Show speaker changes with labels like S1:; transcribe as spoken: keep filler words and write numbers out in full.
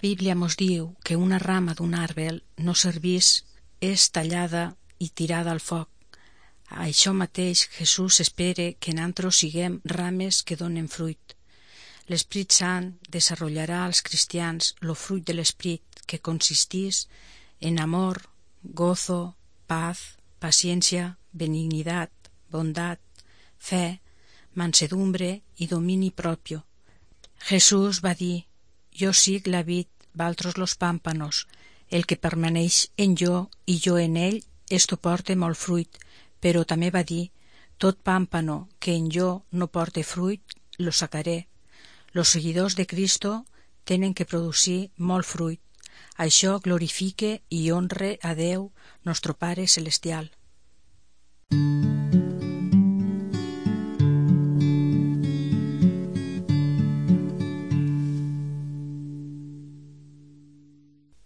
S1: Bíblia mos diu que una rama d'un arbre no servís, és tallada i tirada al foc. A això mateix Jesús espera que nosaltres siguem rames que donen fruit. L'Esprit Sant desenvoluparà als cristians lo fruit de l'Esprit, que consistís en amor, gozo, paz, paciència, benignidad, bondat, fe, mansedumbre i domini propio. Jesús va dir: jo sic la vid, valtros los pámpanos. El que permaneix en jo i jo en ell, esto porta molt fruit. Però també va dir: tot pámpano que en jo no porte fruit, lo sacaré. Los seguidors de Cristo tenen que producir molt fruit. Això glorifique i honre a Déu, nostre Pare Celestial.